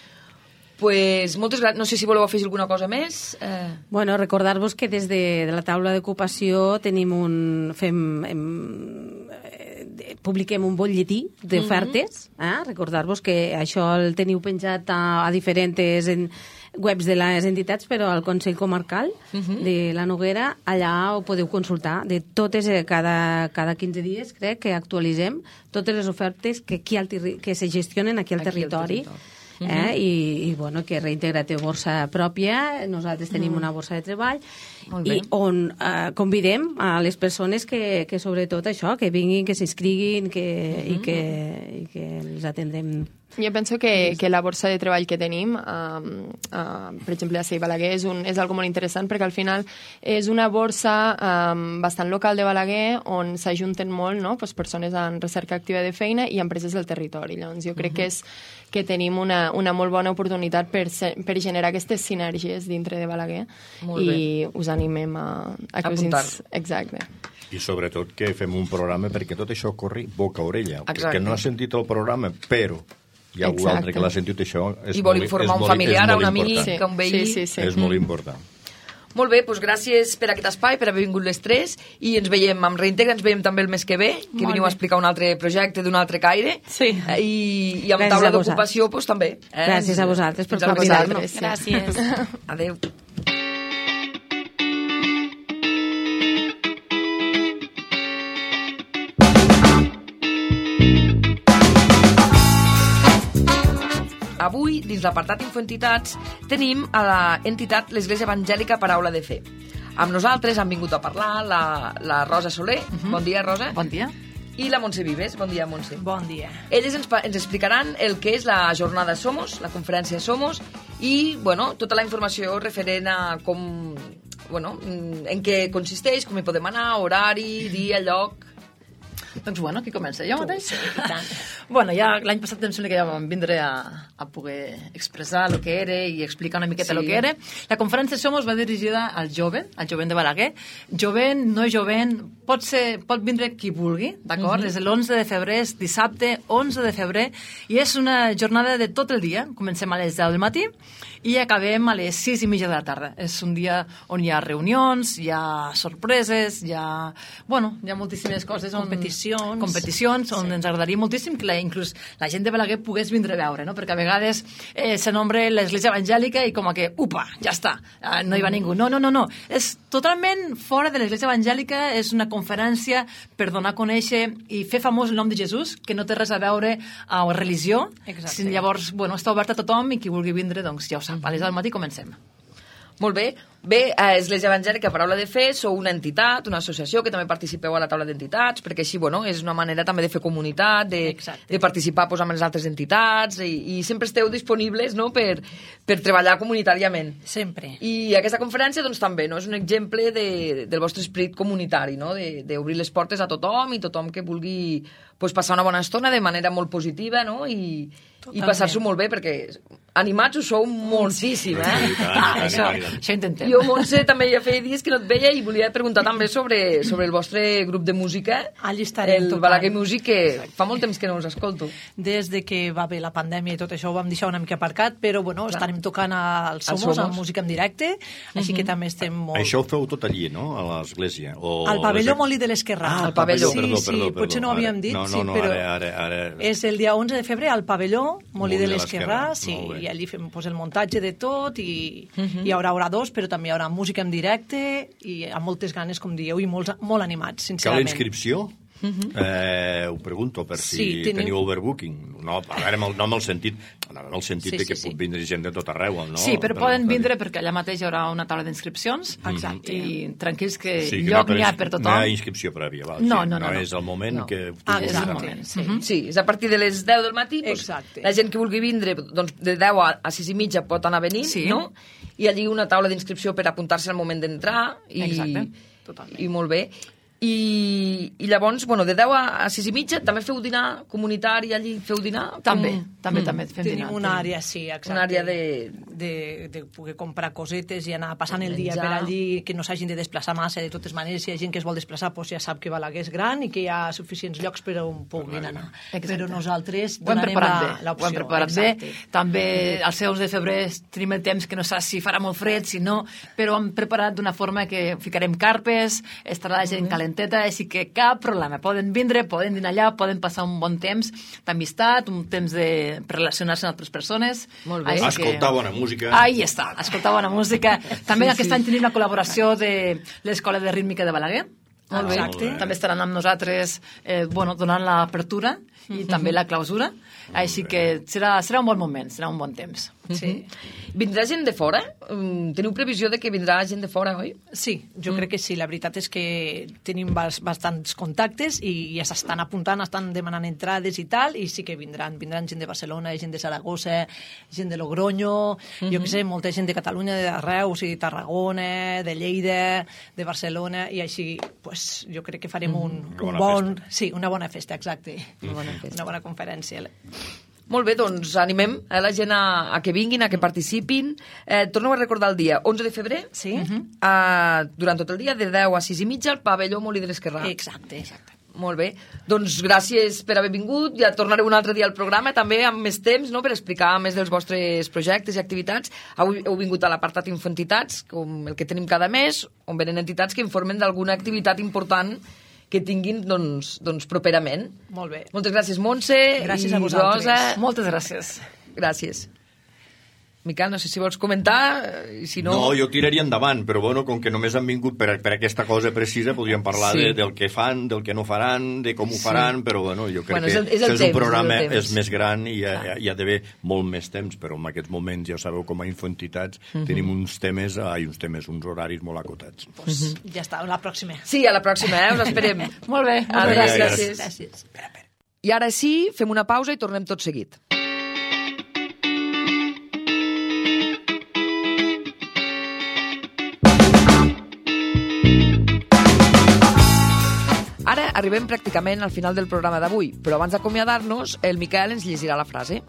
Pues moltes gràcies. No sé si voleu afegir alguna cosa més. Eh... Bueno, recordar-vos que des de, de la taula d'ocupació tenim un... Fem, hem, eh, publiquem un butlletí d'ofertes. Mm -hmm. eh? Recordar-vos que això el teniu penjat a, a diferents en, webs de les entitats, però al Consell Comarcal uh -huh. de la Noguera, allà ho podeu consultar. De totes, cada, cada quinze dies, crec, que actualitzem totes les ofertes que, aquí al, que se gestionen aquí al aquí territori. Al territori. Eh? Uh -huh. I, i bueno, que Reintegra té borsa pròpia, nosaltres tenim uh -huh. una borsa de treball, i on eh, convidem a les persones que, que sobretot això, que vinguin, que s'inscriguin, que, uh -huh. i, que, i que els atendrem. Jo penso que, que la borsa de treball que tenim, uh, uh, per exemple, a C E I Balaguer, és, un, és algo molt interessant, perquè al final és una borsa um, bastant local de Balaguer, on s'ajunten molt, no?, pues, persones en recerca activa de feina i empreses del territori. Llavors, jo crec uh -huh. que, és, que tenim una, una molt bona oportunitat per, per generar aquestes sinergies dintre de Balaguer, molt i bé. Us animem a, a que apuntar. us... Exacte. I sobretot que fem un programa perquè tot això corri boca a orella. Exacte. Que no ha sentit el programa, però hi ha algú altre que l'ha sentit això. És I vol molt, informar un molt, familiar, a un important. amic, sí. que un veí. Sí, sí, sí. És molt important. Molt bé, doncs gràcies per aquest espai, per haver vingut les tres, i ens veiem amb Reintegra, ens veiem també el mes que ve, que Molt veniu bé. a explicar un altre projecte d'un altre caire, sí. eh, i, i amb Gràcies taula a vosaltres. d'ocupació doncs, també. Eh? Gràcies a vosaltres per Fins a la convidar-nos. propera. Gràcies. Adéu. Avui, dins l'apartat Infoentitats, tenim a l'entitat l'Església Evangèlica Paraula de Fe. Amb nosaltres han vingut a parlar la, la Rosa Soler. Uh -huh. Bon dia, Rosa. Bon dia. I la Montse Vives. Bon dia, Montse. Bon dia. Elles ens, ens explicaran el que és la jornada Somos, la conferència Somos, i, bueno, tota la informació referent a com, bueno, en què consisteix, com hi podem anar, horari, dia, lloc... Doncs bueno, qui comença? Jo mateix? Sí, i tant. Bueno, ja l'any passat em sembla que ja vam vindre a, a poder expressar el que era i explicar una miqueta Sí. el que era. La conferència Somos va dirigida al jove, al jovent de Balaguer. Jovent, no jovent, pot, ser, pot vindre qui vulgui, d'acord? Uh-huh. És l'onze de febrer, és dissabte, onze de febrer, i és una jornada de tot el dia. Comencem a les deu del matí i acabem a les sis i mitja de la tarda. És un dia on hi ha reunions, hi ha sorpreses, hi ha... Bueno, hi ha moltíssimes coses. On, Competicions. competicions, on sí. ens agradaria moltíssim que la, inclús la gent de Balaguer pogués vindre a veure, no? Perquè a vegades eh, se nombra l'Església Evangèlica i com a que, upa, ja està, eh, no hi va ningú. No, no, no, no. És totalment fora de l'Església Evangèlica, és una conferència per donar a conèixer i fer famós el nom de Jesús, que no té res a veure amb religió. Exacte. Llavors, bueno, està obert a tothom i qui vulgui vindre, doncs ja ho sap. A les del matí comencem. Molt bé. Bé, a Església Evangèlica Paraula de Fe sou una entitat, una associació que també participeu a la taula d'entitats, perquè així, bueno, és una manera també de fer comunitat, de, de participar pues, amb les altres entitats, i, i sempre esteu disponibles, no?, per, per treballar comunitàriament. Sempre. I aquesta conferència, doncs, també, no?, és un exemple de, del vostre esperit comunitari, no?, d'obrir les portes a tothom i tothom que vulgui pues, passar una bona estona de manera molt positiva, no?, i, i passar-s'ho molt bé, perquè animats ho sou moltíssim, eh? Ah, això, això intentem. Jo, Montse, també ja feia dies que no et veia i volia preguntar també sobre, sobre el vostre grup de música, allí estarem el tocant. Balaguer Music, que Exacte. fa molt temps que no us escolto. Des de que va haver la pandèmia i tot això ho vam deixar una mica aparcat, però bueno, Clar. estarem tocant al Somos, Somos. amb música en directe, així Mhm. que també estem molt... Això ho feu tot allí, no?, a l'església? O Al pavelló les- Molí de l'Esquerrà. Ah, al pavelló. Sí, perdó, sí, perdó, perdó. potser no ho havíem Ara- dit, no, no, sí, no, però ara, ara, ara... és el dia onze de febrer al pavelló Molí de l'Esquerrà, sí, Molt bé. i allí fem pues, el muntatge de tot i Mhm. hi haurà oradors, però també hi haurà música en directe i amb moltes ganes, com dieu, i molts, molt animats, Cal sincerament. inscripció? eh, ho pregunto per si Sí, tenim- teniu overbooking. No, a veure, no amb el sentit, no amb el sentit Sí, de que sí, sí. pot vindre gent de tot arreu, no? Sí, però Per- poden per- vindre perquè allà mateix hi haurà una taula d'inscripcions. Exacte. I tranquils que Sí, que lloc no n'hi ha ins- per tothom. No hi ha inscripció prèvia, val? No, sí, no, no, no. és el moment No. que... tu Ah, vulguis és el anar. moment, sí. Mhm. Sí, és a partir de les deu del matí, doncs, Exacte. la gent que vulgui vindre, doncs, de deu a, a sis i mitja pot anar venint, Sí. no? I allí una taula d'inscripció per apuntar-se al moment d'entrar. I, Exacte, totalment. I molt bé. I, i llavors, bueno, de deu a sis i mitja també feu dinar comunitari allí? Feu dinar? També, Com... també, mm. també fem Tenim dinar. una àrea, sí, exacte. Una àrea de... de... de poder comprar cosetes i anar passant el dia Menjar. per allí, que no s'hagin de desplaçar massa. De totes maneres, si hi ha gent que es vol desplaçar, doncs ja sap que Balaguer és gran i que hi ha suficients llocs per on puguin anar. Exacte. Però nosaltres Ho hem donarem preparat la- bé, l'opció. ho hem preparat exacte. bé. També al onze de febrer tenim el temps que no saps si farà molt fred, si no, però hem preparat d'una forma que ficarem carpes, estarà la gent calenteta, així que cap problema. Poden vindre, poden dinar allà, poden passar un bon temps d'amistat, un temps de relacionar-se amb altres persones. Molt bé. Així Escoltar bona música. Ahí està, escoltar bona música. També sí, aquest sí. any tenim la col·laboració de l'Escola de Rítmica de Balaguer. Molt bé. Exacte. També estaran amb nosaltres eh, bueno, donant l'apertura i també la clausura. Així que serà, serà un bon moment, serà un bon temps. Sí. Vindrà gent de fora? Mm, Teniu previsió de que vindrà gent de fora, oi? Sí, jo mm. crec que sí. La veritat és que tenim bas- bastants contactes i ja s'estan apuntant, estan demanant entrades i tal, i sí que vindran. Vindran gent de Barcelona, gent de Saragossa, gent de Logroño, mm-hmm. jo què sé, molta gent de Catalunya, de Reus i Tarragona, de Lleida, de Barcelona, i així pues, jo crec que farem un, Una un bona bon... festa. Sí, una bona festa, exacte. Una bona festa. Una bona conferència. Molt bé, doncs animem a la gent a, a que vinguin, a que participin. Eh, torno a recordar el dia, onze de febrer, Sí? eh, durant tot el dia, de deu a sis i mitja, al pavelló Molí de l'Esquerrà. Exacte, exacte. Molt bé. Doncs gràcies per haver vingut. Ja tornaré un altre dia al programa, també amb més temps, no?, per explicar més dels vostres projectes i activitats. Avui heu vingut a l'apartat Infantitats, com el que tenim cada mes, on venen entitats que informen d'alguna activitat important que tinguin, doncs, doncs properament. Molt bé. Moltes gràcies, Montse. Gràcies i a vosaltres. Rosa. Moltes gràcies. Gràcies. Miquel, no sé si vols comentar, i si no... No, jo tiraria endavant, però bueno, com que només han vingut per, per aquesta cosa precisa, podríem parlar Sí. de, del que fan, del que no faran, de com ho faran, però bueno, jo crec Bueno, és el- que és el és temps, un programa és el temps. és més gran i hi ha, hi ha d'haver molt més temps, però en aquests moments, ja sabeu, com a infantitats, Mhm. tenim uns temes, ai, uns temes, uns horaris molt acotats. Pues, ja està, la pròxima. Sí, a la pròxima, eh? Us esperem. Molt bé. Adéu, Vinga, gràcies. Gràcies. I ara sí, fem una pausa i tornem tot seguit. Ara arribem pràcticament al final del programa d'avui, però abans d'acomiadar-nos, el Miquel ens llegirà la frase.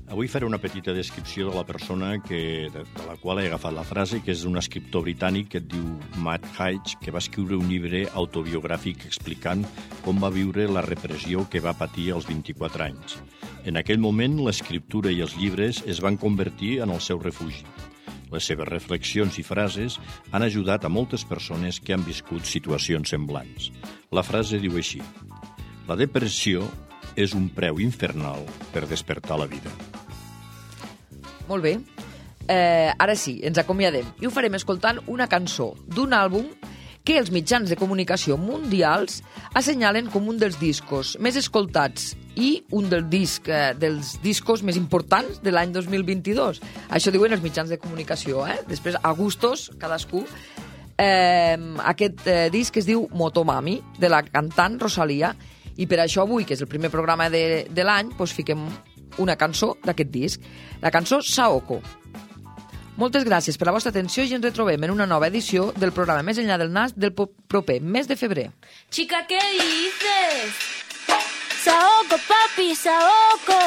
Avui faré una petita descripció de la persona que, de, de la qual he agafat la frase, que és un escriptor britànic que et diu Matt Haig, que va escriure un llibre autobiogràfic explicant com va viure la repressió que va patir als vint-i-quatre anys. En aquell moment, l'escriptura i els llibres es van convertir en el seu refugi. Les seves reflexions i frases han ajudat a moltes persones que han viscut situacions semblants. La frase diu així: la depressió és un preu infernal per despertar la vida. Molt bé. Eh, ara sí, ens acomiadem. I ho farem escoltant una cançó d'un àlbum que els mitjans de comunicació mundials assenyalen com un dels discos més escoltats i un del disc, eh, dels discos més importants de l'any dos mil vint-i-dos. Això diuen els mitjans de comunicació, eh? Després, a gustos, cadascú. Eh, aquest eh, disc es diu Motomami, de la cantant Rosalia, i per això avui, que és el primer programa de, de l'any, doncs fiquem una cançó d'aquest disc. La cançó Saoko. Moltes gràcies per la vostra atenció i ens retrobem en una nova edició del programa Més enllà del nas del proper mes de febrer. Chica, ¿qué dices? Saoko, papi, Saoko.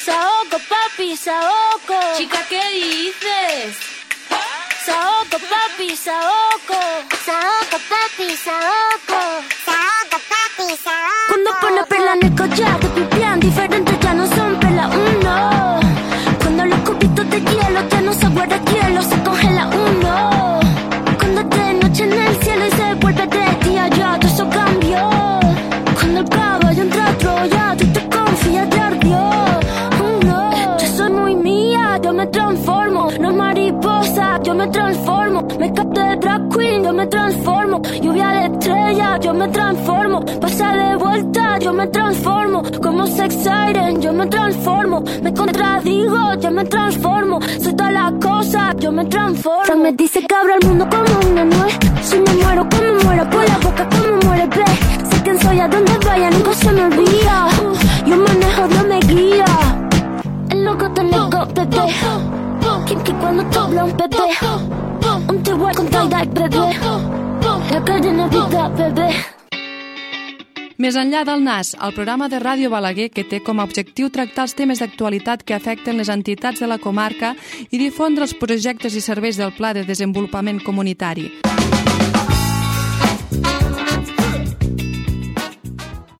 Saoko, papi, Saoko. Chica, ¿qué dices? Saoko, papi, Saoko. Saoko, papi, Saoko. Saoko, papi, Saoko. Cuando pone perla en el collar, te pipián diferentes ya no son perla uno. Cuando los cubitos de hielo ya no se guarda hielo, se congela uno. Cuando es de noche en el cielo y se vuelve de día, ya todo eso cambió. Cuando el caballo entra a Troya, tú te confías, te ardió. Oh, no. Yo soy muy mía, yo me transformo. No mariposa, yo me transformo. Me capto de drag queen, yo me transformo. Lluvia de estrella, yo me transformo. Pasa de vuelta, yo me transformo. Como sex siren, yo me transformo. Me contradigo, yo me transformo. Soy todas las cosas, yo me transformo. Se me dice que abro el mundo como una nuez. Si me muero, como muero, por la boca como muere, ve. Sé quién soy, a donde vaya, nunca se me olvida. Yo manejo, Dios me guía. El loco te loco, bebé. Kinky cuando te habla un bebé. Un te igual con Taida y Bebé. La calle no vida, bebé. Més enllà del N A S, el programa de Ràdio Balaguer, que té com a objectiu tractar els temes d'actualitat que afecten les entitats de la comarca i difondre els projectes i serveis del Pla de Desenvolupament Comunitari.